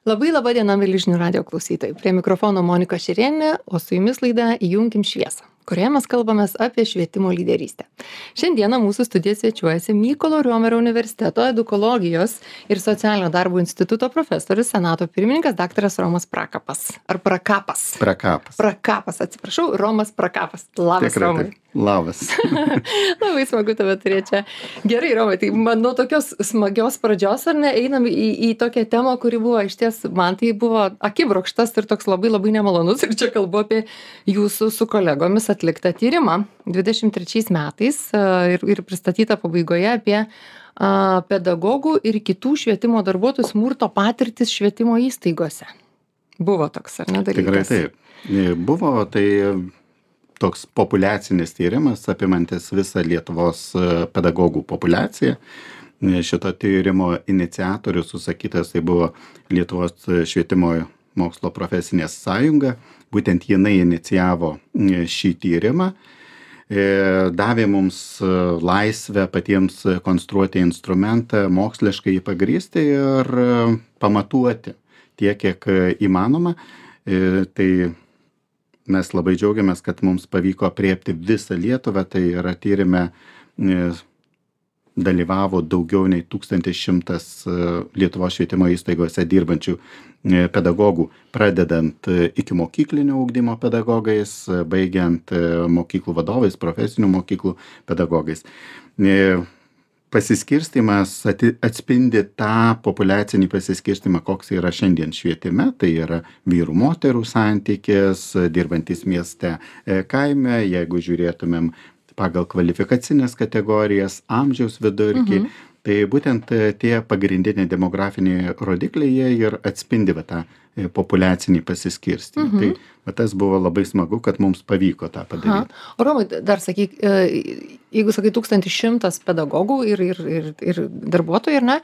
Labai laba diena, mieli žinių radio klausytojai. Prie mikrofono Monika Šerėnė, o su jumis laida Įjunkim šviesą, kurioje mes kalbamės apie švietimo lyderystę. Šiandieną mūsų studijoje svečiuojasi Mykolo Riomerio universiteto edukologijos ir socialinio darbo instituto profesorius, senato pirmininkas daktaras Romas Prakapas. Ar Prakapas? Prakapas, atsiprašau, Romas Prakapas. Labas, Tikrai, Romai. taip. Labas. Labai smagu tave turėti čia. Gerai, Romai, tai man nuo tokios smagios pradžios, ar ne, einam į tokią temą, kuri buvo išties, man tai buvo akibrokštas ir toks labai labai nemalonus. Ir čia kalbu apie jūsų su kolegomis atliktą tyrimą 23 metais ir pristatytą pabaigoje apie pedagogų ir kitų švietimo darbuotojų smurto patirtis švietimo įstaigose. Buvo toks, ar ne, dalykas? Tikrai taip. Buvo tai toks populiacinis tyrimas, apimantis visą Lietuvos pedagogų populiaciją. Šito tyrimo iniciatorius užsakytas tai buvo Lietuvos švietimo mokslo profesinė sąjunga. Būtent jinai inicijavo šį tyrimą. Davė mums laisvę patiems konstruoti instrumentą, moksliškai jį pagrįsti ir pamatuoti tiek, kiek įmanoma. Tai mes labai džiaugiamės, kad mums pavyko apriepti visą Lietuvą. Tai yra tyrime dalyvavo daugiau nei 1100 Lietuvos švietimo įstaigose dirbančių pedagogų, pradedant ikimokyklinio ugdymo pedagogais, baigiant mokyklų vadovais, profesinių mokyklų pedagogais. Pasiskirstymas atspindi tą populiacinį pasiskirstimą, koks yra šiandien švietime. Tai yra vyrų moterų santykis, dirbantis mieste, kaime, jeigu žiūrėtumėm pagal kvalifikacinės kategorijas, amžiaus vidurkį. Tai būtent tie pagrindiniai demografiniai rodikliai jie ir atspindi tą populiacinį pasiskirstimą. Tai tas buvo labai smagu, kad mums pavyko tą padaryti. O Romai, dar sakyk, jeigu sakai 1100 pedagogų ir darbuotojų, ar ne,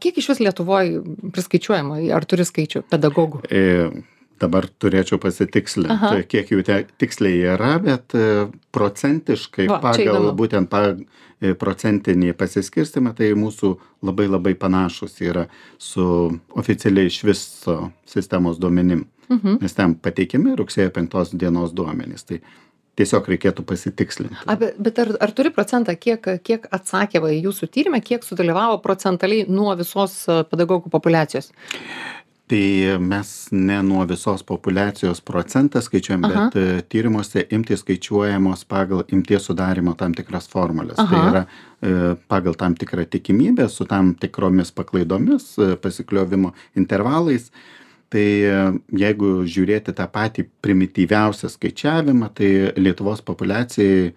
kiek iš vis Lietuvoje priskaičiuojama, ar turi skaičių pedagogų? Dabar turėčiau pasitikslinti, kiek jų tiksliai yra, bet procentiškai pagal būtent procentinį pasiskirstimą, tai mūsų labai labai panašus yra su oficialiai iš viso sistemos duomenim. Nes ten pateikiami rugsėjo 5 dienos duomenys. Tai tiesiog reikėtų pasitikslinti. Bet ar turi procentą, kiek atsakė į jūsų tyrimą, kiek sudalyvavo procentaliai nuo visos pedagogų populiacijos? Tai mes ne nuo visos populiacijos procentą skaičiuojam, bet tyrimuose imtys skaičiuojamos pagal imties sudarimo tam tikras formulės. Tai yra pagal tam tikrą tikimybę su tam tikromis paklaidomis, pasikliovimo intervalais. Tai jeigu žiūrėti tą patį primityviausią skaičiavimą, tai Lietuvos populiacijai,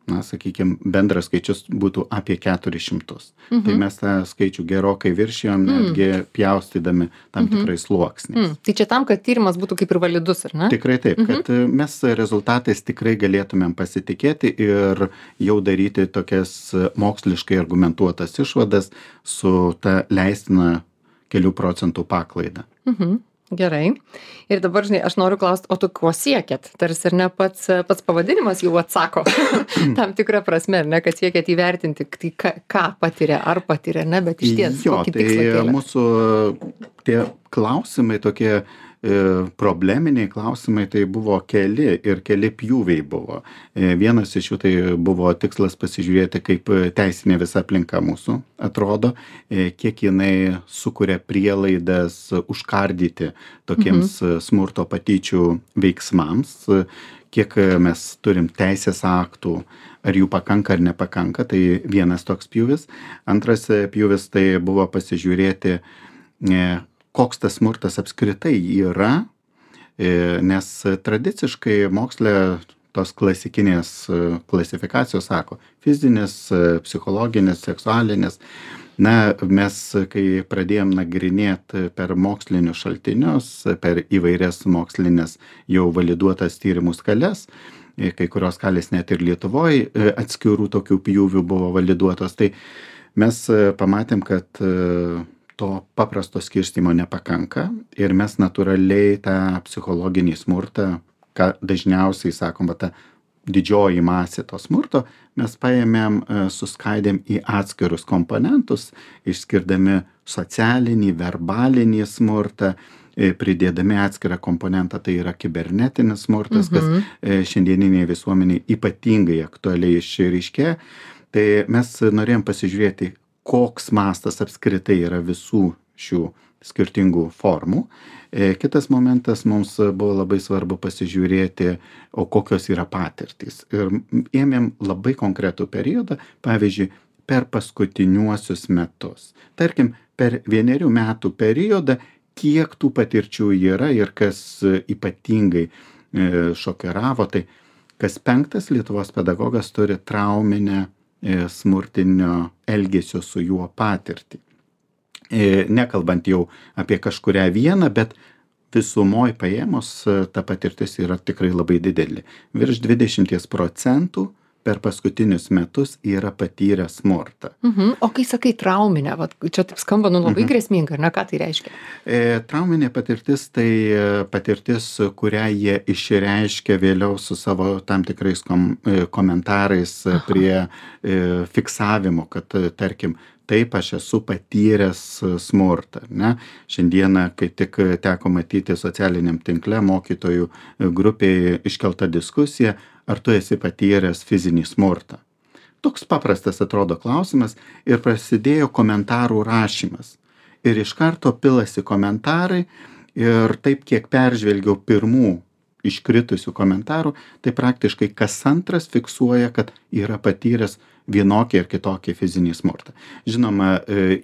sakykime, bendras skaičius būtų apie 400. Tai mes tą skaičių gerokai viršijom, netgi pjaustydami tam tikrais sluoksniais. Tai čia tam, kad tyrimas būtų kaip ir validus, ar ne? Tikrai taip, kad mes rezultatais tikrai galėtumėm pasitikėti ir jau daryti tokias moksliškai argumentuotas išvadas su ta leistina kelių procentų paklaida. Gerai. Ir dabar, žinai, aš noriu klausti, o tu ko siekėt? Tarsi ir ne pats pavadinimas jau atsako tam tikrą prasme, ar ne, kad siekėt įvertinti, tai ką patiria, ar patiria, ne, bet iš ties, kokį tikslą kėlė. Tai mūsų tie klausimai tokie probleminiai klausimai tai buvo keli pjūviai buvo. Vienas iš jų tai buvo tikslas pasižiūrėti, kaip teisinė visa aplinka mūsų atrodo, kiek jinai sukuria prielaidas užkardyti tokiems smurto patyčių veiksmams, kiek mes turim teisės aktų, ar jų pakanka ar nepakanka, tai vienas toks pjūvis. Antras pjūvis tai buvo pasižiūrėti, koks tas smurtas apskritai yra, nes tradiciškai moksle tos klasikinės klasifikacijos sako fizinis, psichologinis, seksualinis. Mes, kai pradėjom nagrinėti per mokslinius šaltinius, per įvairias mokslinės jau validuotas tyrimų skales, kai kurios skalės net ir Lietuvoje atskirų tokių pjūvių buvo validuotos, tai mes pamatėm, kad to paprasto skirstymo nepakanka ir mes natūraliai tą psichologinį smurtą, ką dažniausiai sakom, tą didžioji masė to smurto, mes paėmėm, suskaidėm į atskirus komponentus, išskirdami socialinį, verbalinį smurtą, pridėdami atskirą komponentą, tai yra kibernetinis smurtas, kas šiandieninėje visuomenėje ypatingai aktualiai išryškėja. Tai mes norėjom pasižiūrėti, koks mastas apskritai yra visų šių skirtingų formų. Kitas momentas, mums buvo labai svarbu pasižiūrėti, o kokios yra patirtys. Ir ėmėm labai konkretų periodą, pavyzdžiui, per paskutiniuosius metus. Tarkim, per 1 metų periodą, kiek tų patirčių yra ir kas ypatingai šokiravo, tai kas 5 Lietuvos pedagogas turi trauminę smurtinio elgesio su juo patirtį. Nekalbant jau apie kažkurią vieną, bet visumoj paėmus ta patirtis yra tikrai labai didelė. Virš 20% per paskutinius metus yra patyrę smurtą. O kai sakai trauminę, čia taip skamba labai grėsminga, ar ne, ką tai reiškia? Trauminė patirtis tai patirtis, kurią jie išreiškia vėliau su savo tam tikrais komentarais prie fiksavimo, kad tarkim, taip aš esu patyręs smurtą. Ne? Šiandieną, kai tik teko matyti socialiniam tinkle mokytojų grupėje iškelta diskusija, ar tu esi patyręs fizinį smurtą. Toks paprastas atrodo klausimas ir prasidėjo komentarų rašymas. Ir iš karto pilasi komentarai ir taip, kiek peržvelgiau pirmų iškritusių komentarų, tai praktiškai kas antras fiksuoja, kad yra patyręs vienokį ir kitokį fizinį smurtą. Žinoma,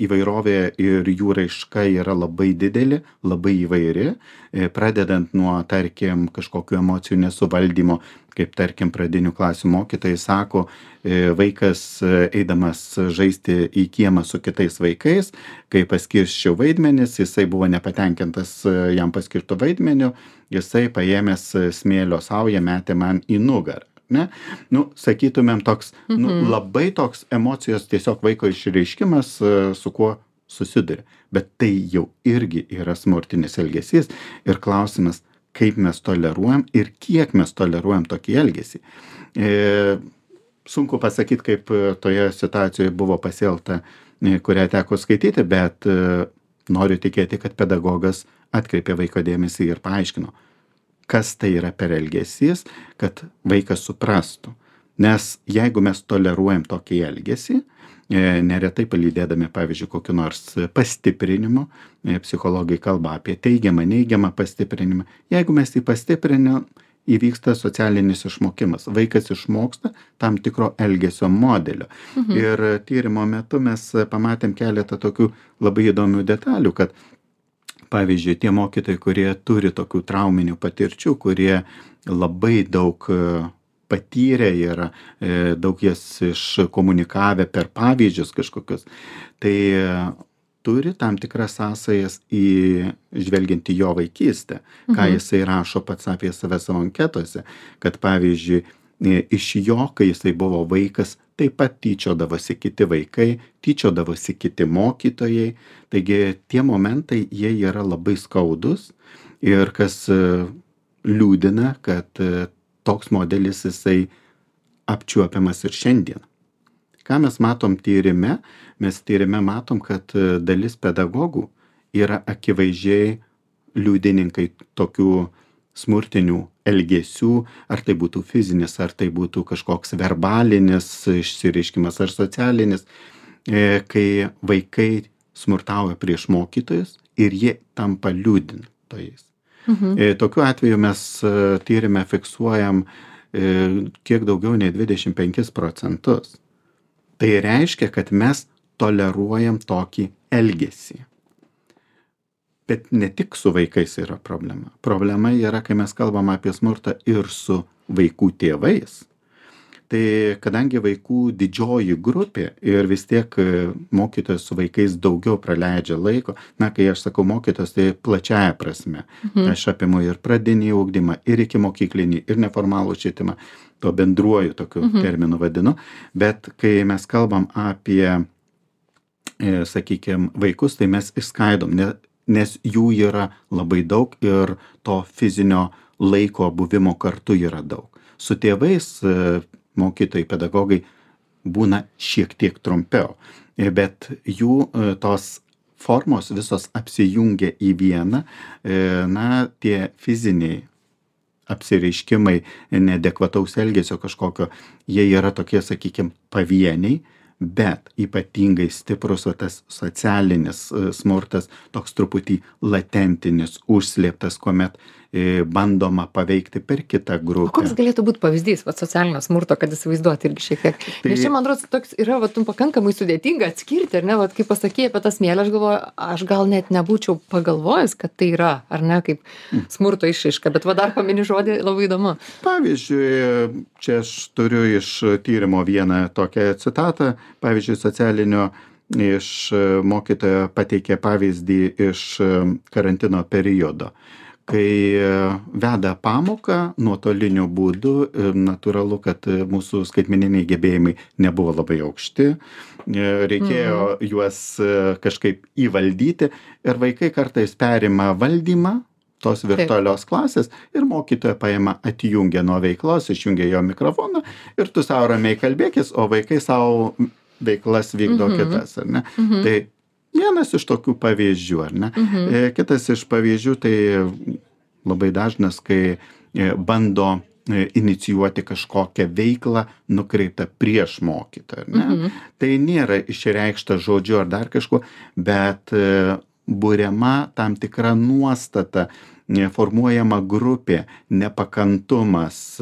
įvairovė ir jų raiška yra labai didelė, labai įvairi, pradedant nuo, tarkim, kažkokių emocijų nesuvaldymo, kaip, tarkim, pradinių klasių mokytojai sako, vaikas eidamas žaisti į kiemą su kitais vaikais, kai paskirščiau vaidmenis, jisai buvo nepatenkintas jam paskirtų vaidmeniu, jisai paėmęs smėlio saują metė man į nugarą. Ne? Sakytumėm toks, labai toks emocijos tiesiog vaiko išreiškimas, su kuo susiduria. Bet tai jau irgi yra smurtinis elgesys ir klausimas, kaip mes toleruojam ir kiek mes toleruojam tokį elgesį. Sunku pasakyti, kaip toje situacijoje buvo pasielgta, kurią teko skaityti, bet noriu tikėti, kad pedagogas atkreipė vaiko dėmesį ir paaiškino, kas tai yra per elgesys, kad vaikas suprastų. Nes jeigu mes toleruojam tokį elgesį, neretai palydėdami, pavyzdžiui, kokiu nors pastiprinimu, psichologai kalba apie teigiamą, neigiamą pastiprinimą. Jeigu mes jį pastiprinam, įvyksta socialinis išmokimas. Vaikas išmoksta tam tikro elgesio modelio. Ir tyrimo metu mes pamatėm keletą tokių labai įdomių detalių, kad pavyzdžiui, tie mokytojai, kurie turi tokių trauminių patirčių, kurie labai daug patyrę yra, daug jas iškomunikavę per pavyzdžius kažkokius, tai turi tam tikras sąsajas žvelgiant į jo vaikystę, ką jisai rašo pats apie save savo anketose, kad pavyzdžiui, iš jo, kai jisai buvo vaikas, taip pat tyčiodavosi kiti vaikai, tyčiodavosi kiti mokytojai. Taigi tie momentai, jie yra labai skaudus ir kas liūdina, kad toks modelis jisai apčiuopiamas ir šiandien. Ką mes matom tyrime? Mes tyrime matom, kad dalis pedagogų yra akivaizdžiai liudininkai tokių smurtinių elgesių, ar tai būtų fizinis, ar tai būtų kažkoks verbalinis išsireiškimas, ar socialinis, kai vaikai smurtauja prieš mokytojus ir jie tampa liudintojais. Tokiu atveju mes tyrime fiksuojam kiek daugiau nei 25%. Tai reiškia, kad mes toleruojam tokį elgesį. Bet ne tik su vaikais yra problema. Problema yra, kai mes kalbam apie smurtą ir su vaikų tėvais. Tai kadangi vaikų didžioji grupė ir vis tiek mokytojas su vaikais daugiau praleidžia laiko, kai aš sakau mokytojas, tai plačiaja prasme. Aš apimu ir pradinį ugdymą, ir iki mokyklinį, ir neformalų švietimą, to bendruoju tokiu terminu vadinu. Bet kai mes kalbam apie, sakykime, vaikus, tai mes išskaidom, nes jų yra labai daug ir to fizinio laiko buvimo kartu yra daug. Su tėvais mokytojai, pedagogai būna šiek tiek trumpiau, bet jų tos formos visos apsijungia į vieną, na, tie fiziniai apsireiškimai neadekvataus elgesio kažkokio, jie yra tokie, sakykime, pavieniai, bet ypatingai stiprus tas socialinis smurtas, toks truputį latentinis, užslėptas, kuomet bandoma paveikti per kitą grupę. O koks galėtų būti pavyzdys socialinio smurto, kad įsivaizduoti irgi šiek tiek? Nes čia, man atrodo, toks yra pakankamai sudėtinga atskirti, ar ne, kaip pasakėjai apie tą smėlį, aš galvoju, aš gal net nebūčiau pagalvojęs, kad tai yra, ar ne, kaip smurto išraiška, bet dar pamini žodį, labai įdomu. Pavyzdžiui, čia aš turiu iš tyrimo vieną tokią citatą, pavyzdžiui, socialinio iš mokytojo pateikė pavyzdį iš karantino periodo. Kai veda pamoką nuotoliniu būdu, natūralu, kad mūsų skaitmeniniai gebėjimai nebuvo labai aukšti, reikėjo juos kažkaip įvaldyti ir vaikai kartais perima valdymą tos virtualios klasės ir mokytoja paima, atjungia nuo veiklos, išjungia jo mikrofoną ir tu savo ramiai kalbėkis, o vaikai savo veiklas vykdo kitas, ar ne? Tai vienas iš tokių pavyzdžių, ar ne? Kitas iš pavyzdžių, tai labai dažnas, kai bando inicijuoti kažkokią veiklą nukreiptą prieš mokytoją, ar ne? Tai nėra išreikšta žodžiu ar dar kažkuo, bet buriama tam tikra nuostata, formuojama grupė, nepakantumas,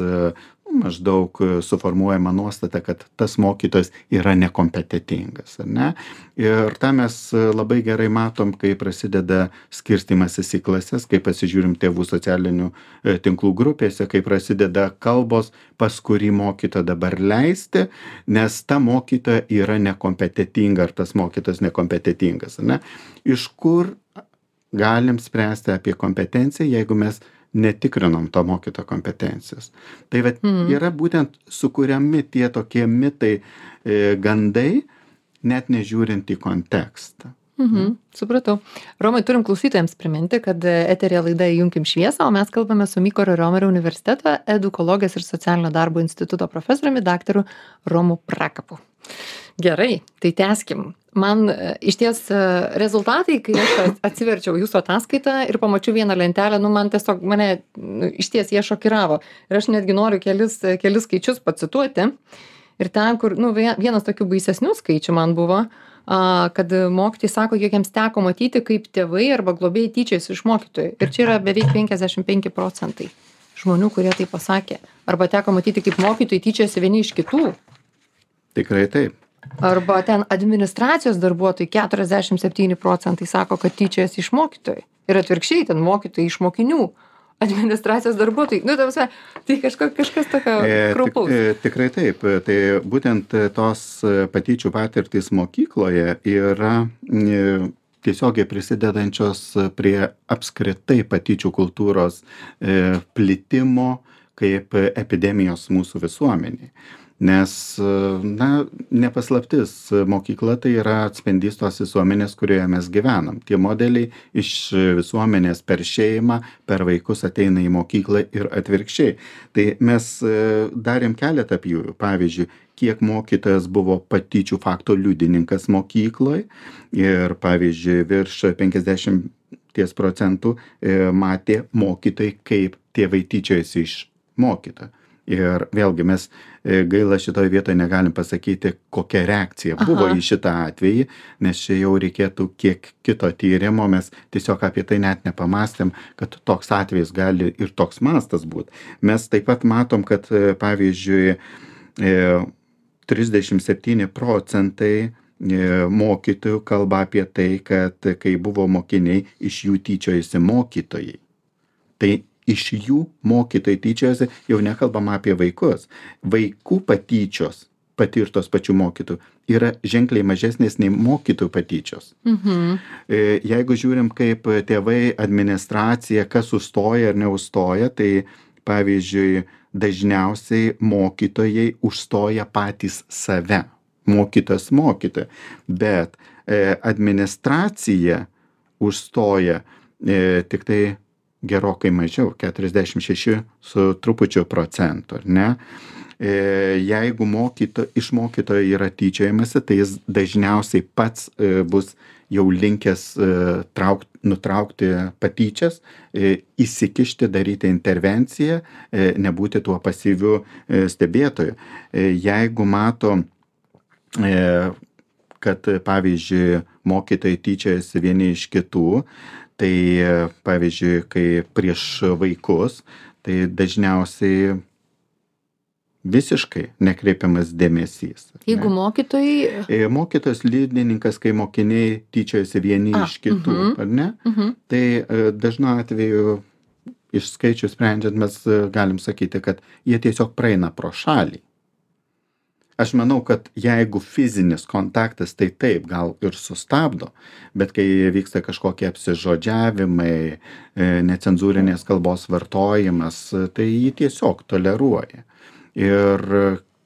maždaug suformuojama nuostata, kad tas mokytojas yra nekompetentingas, ar ne? Ir tą mes labai gerai matom, kai prasideda skirstymasis į klases, kai pasižiūrim tėvų socialinių tinklų grupėse, kai prasideda kalbos, pas kurį mokytoją dabar leisti, nes ta mokytoja yra nekompetentinga, ar tas mokytojas nekompetentingas, ar ne? Iš kur galim spręsti apie kompetenciją, jeigu mes netikrinom to mokytojo kompetencijos. Tai yra būtent sukuriami tie tokie mitai, gandai, net nežiūrint į kontekstą. Supratau. Romai, turim klausytojams priminti, kad eteryje laida Įjunkim šviesą, o mes kalbame su Mykolo Riomerio universiteto edukologijos ir socialinio darbo instituto profesoriumi daktaru Romu Prakapu. Gerai, tai tęskim. Man išties rezultatai, kai aš atsiverčiau jūsų ataskaitą ir pamačiau vieną lentelę, man tiesiog mane išties jie šokiravo. Ir aš netgi noriu kelis skaičius pacituoti. Ir ten, kur vienas tokių baisesnių skaičių man buvo, kad mokytojai sako, kiek jiems teko matyti, kaip tėvai arba globėjai tyčiasi iš mokytojų. Ir čia yra beveik 55% žmonių, kurie tai pasakė. Arba teko matyti, kaip mokytojai tyčiasi vieni iš kitų. Tikrai taip. Arba ten administracijos darbuotojai 47% sako, kad tyčiasi iš mokytojų. Ir atvirkščiai, ten mokytojai iš mokinių. Administracijos darbuotojai. Tai kažkas tokio kraupaus. Tikrai taip. Tai būtent tos patyčių patirtys mokykloje yra tiesiogiai prisidedančios prie apskritai patyčių kultūros plitimo kaip epidemijos mūsų visuomeniai. Nes, nepaslaptis, mokykla tai yra atspindys tos visuomenės, kurioje mes gyvenam. Tie modeliai iš visuomenės per šeimą, per vaikus ateina į mokyklą ir atvirkščiai. Tai mes darėm keletą pjūvių. Pavyzdžiui, kiek mokytojas buvo patyčių fakto liudininkas mokykloje ir, pavyzdžiui, virš 50% matė mokytojai, kaip tėvai tyčiojasi iš mokytojo. Ir vėlgi mes gaila šitoje vietoje negalim pasakyti, kokia reakcija buvo į šitą atvejį, nes čia jau reikėtų kiek kito tyrimo, mes tiesiog apie tai net nepamastėm, kad toks atvejis gali ir toks mastas būti. Mes taip pat matom, kad pavyzdžiui 37% mokytojų kalba apie tai, kad kai buvo mokiniai, iš jų tyčiojasi mokytojai. Tai iš jų mokytojai tyčiojasi, jau nekalbama apie vaikus. Vaikų patyčios patirtos pačių mokytojų yra ženkliai mažesnės nei mokytojų patyčios. Jeigu žiūrim, kaip tėvai, administracija, kas užstoja ar neužstoja, tai pavyzdžiui, dažniausiai mokytojai užstoja patys save. Mokytojas mokytoja. Bet administracija užstoja tik tai gerokai mažiau, 46 su trupučiu procentų, ar ne? Jeigu iš mokytojo yra tyčiojamasi, tai jis dažniausiai pats bus jau linkęs nutraukti patyčias, įsikišti, daryti intervenciją, nebūti tuo pasyviu stebėtoju. Jeigu mato, kad pavyzdžiui mokytojai tyčiojasi vieni iš kitų, tai pavyzdžiui, kai prieš vaikus, tai dažniausiai visiškai nekreipiamas dėmesys. Jeigu mokytojai... Mokytojas liudininkas, kai mokiniai tyčiojasi vieni iš kitų, ar ne? Tai dažnu atveju iš skaičių sprendžiant mes galim sakyti, kad jie tiesiog praeina pro šalį. Aš manau, kad jeigu fizinis kontaktas, tai taip, gal ir sustabdo, bet kai vyksta kažkokie apsižodžiavimai, necenzūrinės kalbos vartojimas, tai jį tiesiog toleruoja. Ir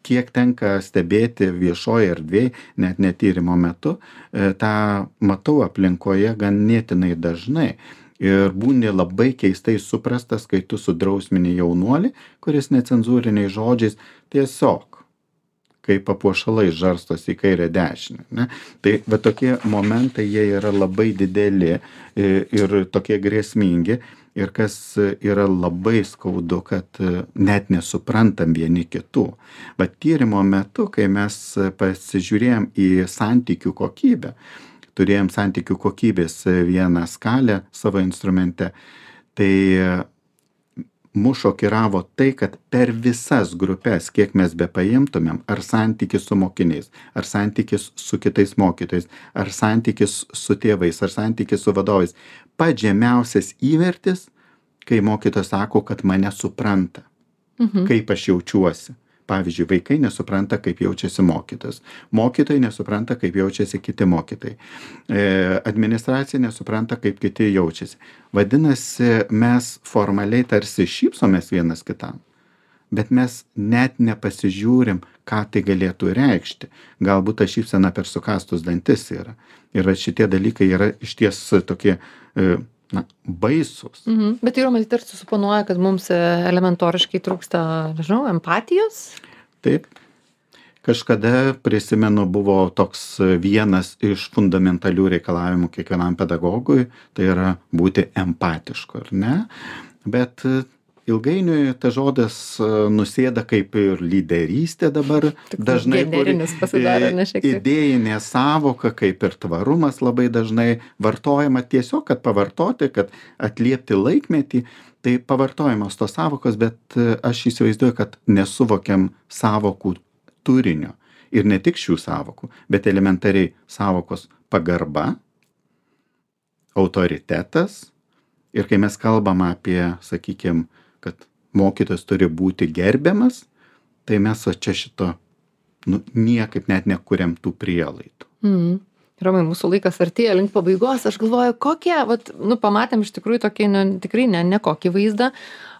kiek tenka stebėti viešoje erdvėje, net netyrimo metu, tą matau aplinkoje ganėtinai dažnai. Ir būni labai keistai suprastas, kai tu sudrausmini jaunuolį, kuris necenzūriniais žodžiais tiesiog kaip papuošalai žarstosi į kairę dešinę. Ne? Tai va tokie momentai, jie yra labai dideli ir tokie grėsmingi. Ir kas yra labai skaudu, kad net nesuprantam vieni kitų. Bet tyrimo metu, kai mes pasižiūrėjom į santykių kokybę, turėjom santykių kokybės vieną skalę savo instrumente, tai mus šokiravo tai, kad per visas grupės, kiek mes bepaimtumėm, ar santykis su mokiniais, ar santykis su kitais mokytojais, ar santykis su tėvais, ar santykis su vadovais, pats žemiausias įvertis, kai mokytojas sako, kad mane supranta, kaip aš jaučiuosi. Pavyzdžiui, vaikai nesupranta, kaip jaučiasi mokytojas. Mokytojai nesupranta, kaip jaučiasi kiti mokytojai. Administracija nesupranta, kaip kiti jaučiasi. Vadinasi, mes formaliai tarsi šypsomės vienas kitam, bet mes net nepasižiūrim, ką tai galėtų reikšti. Galbūt ta šypsena per sukąstus dantis yra. Ir šitie dalykai yra išties tokie baisus. Bet tai yra matyt tarsi suponuoja, kad mums elementoriškai trūksta, nežinau, empatijos? Taip. Kažkada, prisimenu, buvo toks vienas iš fundamentalių reikalavimų kiekvienam pedagogui, tai yra būti empatišku, ar ne? Bet ilgainiui ta žodis nusėda kaip ir lyderystė dabar. Dažnai idėjinė sąvoka, kaip ir tvarumas labai dažnai vartojama tiesiog, kad pavartoti, kad atliepti laikmetį. Tai pavartojamos tos sąvokos, bet aš įsivaizduoju, kad nesuvokiam sąvokų turinio. Ir ne tik šių sąvokų, bet elementariai sąvokos pagarba, autoritetas. Ir kai mes kalbam apie, sakykime, kad mokytojas turi būti gerbiamas, tai mes čia šito niekaip net nekuriam tų prielaidų. Romai, mūsų laikas artėja link pabaigos. Aš galvoju, pamatėm iš tikrųjų tokį, tikrai ne kokį vaizdą.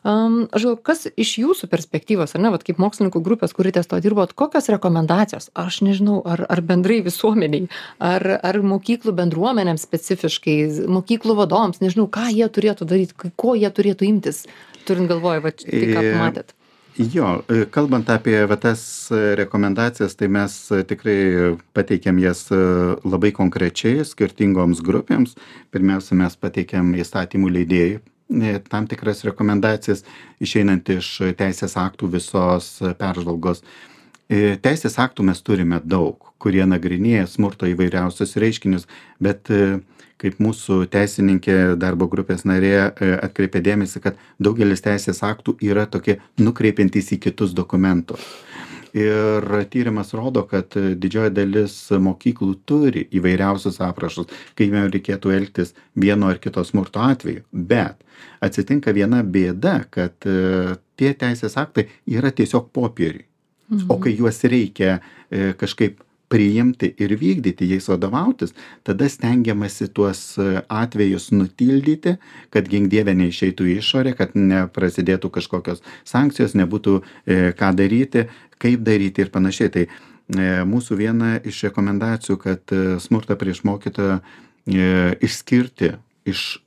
Aš galvoju, kas iš jūsų perspektyvos, ar ne, kaip mokslininkų grupės, kuri ties to dirbot, kokios rekomendacijos, aš nežinau, ar bendrai visuomeniai, ar mokyklų bendruomenėms specifiškai, mokyklų vadovams, nežinau, ką jie turėtų daryti, ko jie turėtų imtis, turint galvoje, tai ką pamatėt. Jo, kalbant apie tas rekomendacijas, tai mes tikrai pateikėm jas labai konkrečiai skirtingoms grupėms. Pirmiausia, mes pateikėm įstatymų leidėjai tam tikras rekomendacijas, išeinant iš teisės aktų visos peržvalgos. Teisės aktų mes turime daug, kurie nagrinėja smurto įvairiausius reiškinius, bet kaip mūsų teisininkė darbo grupės narė atkreipė dėmesį, kad daugelis teisės aktų yra tokie nukreipiantys į kitus dokumentus. Ir tyrimas rodo, kad didžioji dalis mokyklų turi įvairiausius aprašus, kaip jiems reikėtų elgtis vieno ar kito smurto atveju. Bet atsitinka viena bėda, kad tie teisės aktai yra tiesiog popieriui. O kai juos reikia kažkaip priimti ir vykdyti, jais vadovautis, tada stengiamasi tuos atvejus nutildyti, kad gink dieve neišeitų į išorę, kad neprasidėtų kažkokios sankcijos, nebūtų ką daryti, kaip daryti ir panašiai. Tai mūsų viena iš rekomendacijų, kad smurtą prieš mokytoją išskirti iš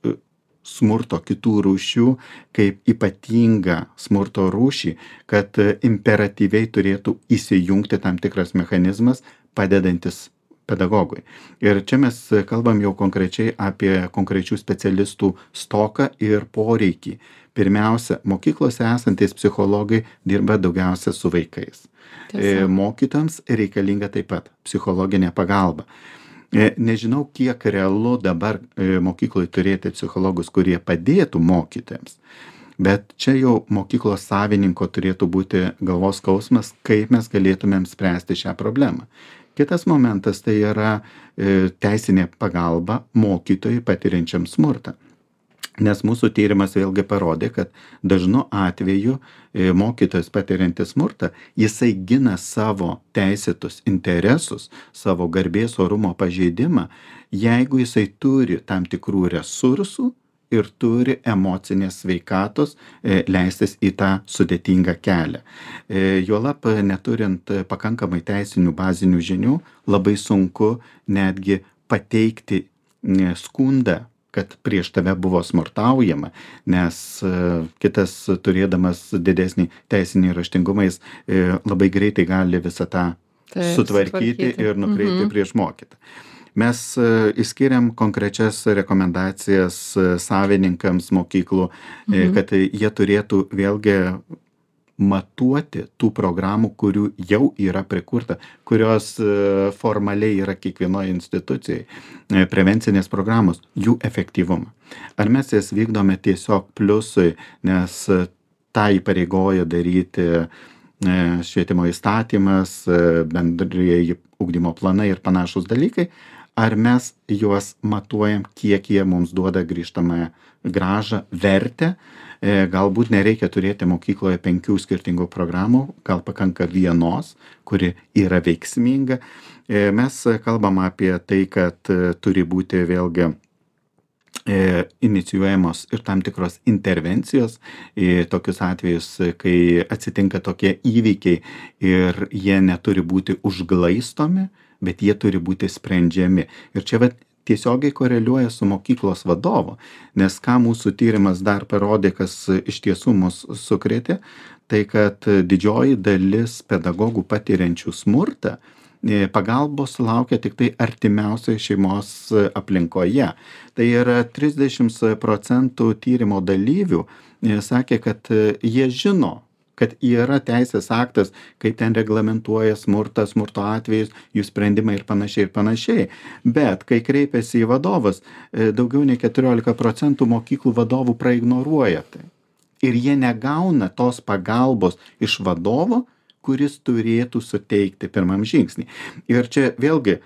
smurto kitų rūšių kaip ypatingą smurto rūšį, kad imperatyviai turėtų įsijungti tam tikras mechanizmas padedantis pedagogui. Ir čia mes kalbam jau konkrečiai apie konkrečių specialistų stoką ir poreikį. Pirmiausia, mokyklose esantys psichologai dirba daugiausia su vaikais. Mokytojams reikalinga taip pat psichologinė pagalba. Nežinau, kiek realu dabar mokykloje turėti psichologus, kurie padėtų mokytojams, bet čia jau mokyklos savininko turėtų būti galvos skausmas, kaip mes galėtumėm spręsti šią problemą. Kitas momentas tai yra teisinė pagalba mokytojui patiriančiam smurtą. Nes mūsų tyrimas vėlgi parodė, kad dažnu atveju mokytojas patiriantis smurtą, jisai gina savo teisėtus interesus, savo garbės orumo pažeidimą, jeigu jisai turi tam tikrų resursų ir turi emocinės sveikatos leistis į tą sudėtingą kelią. Juolab, neturint pakankamai teisinių bazinių žinių, labai sunku netgi pateikti skundą, kad prieš tave buvo smurtaujama, nes kitas turėdamas didesnį teisinį raštingumą, jis labai greitai gali visą tą sutvarkyti ir nukreipti prieš mokytą. Mes išskiriam konkrečias rekomendacijas savininkams mokyklų, kad jie turėtų vėlgi matuoti tų programų, kurių jau yra prikurta, kurios formaliai yra kiekvienoje institucijai, prevencinės programos, jų efektyvumą. Ar mes jas vykdome tiesiog pliusui, nes tą įpareigoja daryti švietimo įstatymas, bendrieji ugdymo planai ir panašus dalykai, ar mes juos matuojam, kiek jie mums duoda grįžtamąją grąžą, vertę. Galbūt nereikia turėti mokykloje 5 skirtingų programų, gal pakanka vienos, kuri yra veiksminga. Mes kalbam apie tai, kad turi būti vėlgi inicijuojamos ir tam tikros intervencijos į tokius atvejus, kai atsitinka tokie įvykiai ir jie neturi būti užglaistomi, bet jie turi būti sprendžiami. Ir čia tiesiogiai koreliuoja su mokyklos vadovu, nes ką mūsų tyrimas dar parodė, kas iš tiesų mus sukrėtė, tai kad didžioji dalis pedagogų patiriančių smurtą pagalbos sulaukia tik tai artimiausioje šeimos aplinkoje. Tai yra 30% tyrimo dalyvių sakė, kad jie žino, kad yra teisės aktas, kaip ten reglamentuoja smurtą, smurto atvejus, jų sprendimai ir panašiai. Bet kai kreipiasi į vadovus, daugiau nei 14% mokyklų vadovų praignoruoja tai. Ir jie negauna tos pagalbos iš vadovo, kuris turėtų suteikti pirmam žingsnį. Ir čia vėlgi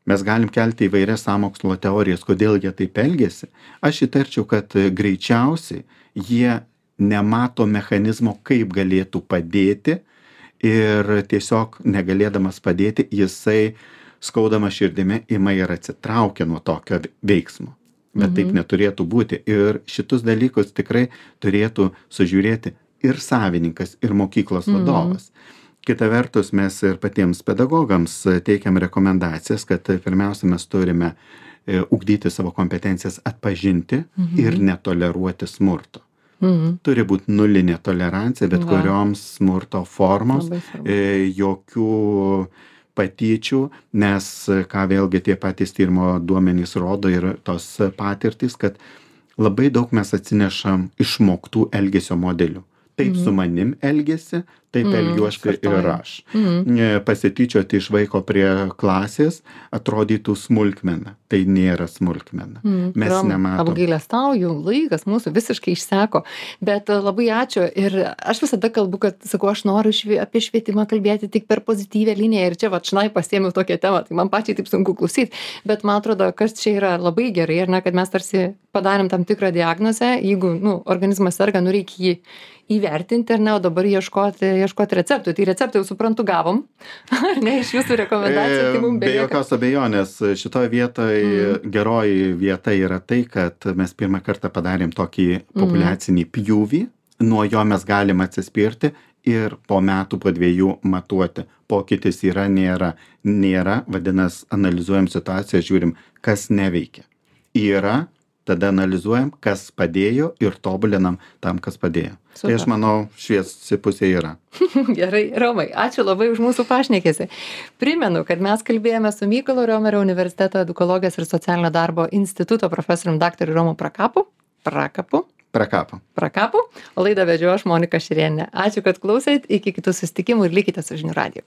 mes galim kelti įvairias sąmokslo teorijas, kodėl jie taip elgiasi. Aš įtarčiau, kad greičiausiai jie nemato mechanizmo, kaip galėtų padėti ir tiesiog negalėdamas padėti, jisai skaudama širdimi ima ir atsitraukia nuo tokio veiksmo. Bet taip neturėtų būti. Ir šitus dalykus tikrai turėtų sužiūrėti ir savininkas, ir mokyklos vadovas. Kita vertus, mes ir patiems pedagogams teikiam rekomendacijas, kad pirmiausia mes turime ugdyti savo kompetencijas atpažinti ir netoleruoti smurto. Turi būti nulinė tolerancija, bet kurioms smurto formoms, jokių patyčių, nes ką vėlgi tie patys tyrimo duomenys rodo ir tos patirtys, kad labai daug mes atsinešam išmoktų elgesio modelių. Taip su manim elgesi, taip elgiuosi ir aš. Pasityčioti iš vaiko prie klasės atrodytų smulkmena. Tai nėra smulkmena. Mes nematom. Apgailestauju, laikas mūsų visiškai išseko. Bet labai ačiū. Ir aš visada kalbu, kad, sakau, aš noriu apie švietimą kalbėti tik per pozityvę liniją. Ir čia šnai pasiėmiau tokią temą. Tai man pačiai taip sunku klausyti. Bet man atrodo, kas čia yra labai gerai, ar ne, kad mes tarsi padarėm tam tikrą diagnozę. Jeigu organizmas serga, reikia jį įvertinti, ar ne, o dabar ieškoti receptų. Tai receptų jau suprantu gavom, ar ne, iš jūsų rekomendacijų. Tai mums be jokios abejonės, šitoje vietoje geroji vieta yra tai, kad mes pirmą kartą padarėm tokį populiacinį pjūvį, nuo jo mes galim atsispirti ir po metų, po 2 matuoti. Pokytis yra, nėra, vadinasi, analizuojam situaciją, žiūrim, kas neveikia. Yra, tada analizuojam, kas padėjo ir tobulinam tam, kas padėjo. Super. Tai aš manau, šviesi pusė yra. Gerai, Romai, ačiū labai už mūsų pašnekėsi. Primenu, kad mes kalbėjome su Mykolo Riomerio universiteto edukologijos ir socialinio darbo instituto profesorium dr. Romu Prakapu. O laidą vedžiau aš, Monika Šerėnė. Ačiū, kad klausėt, iki kitų susitikimų ir likite su žinių radiju.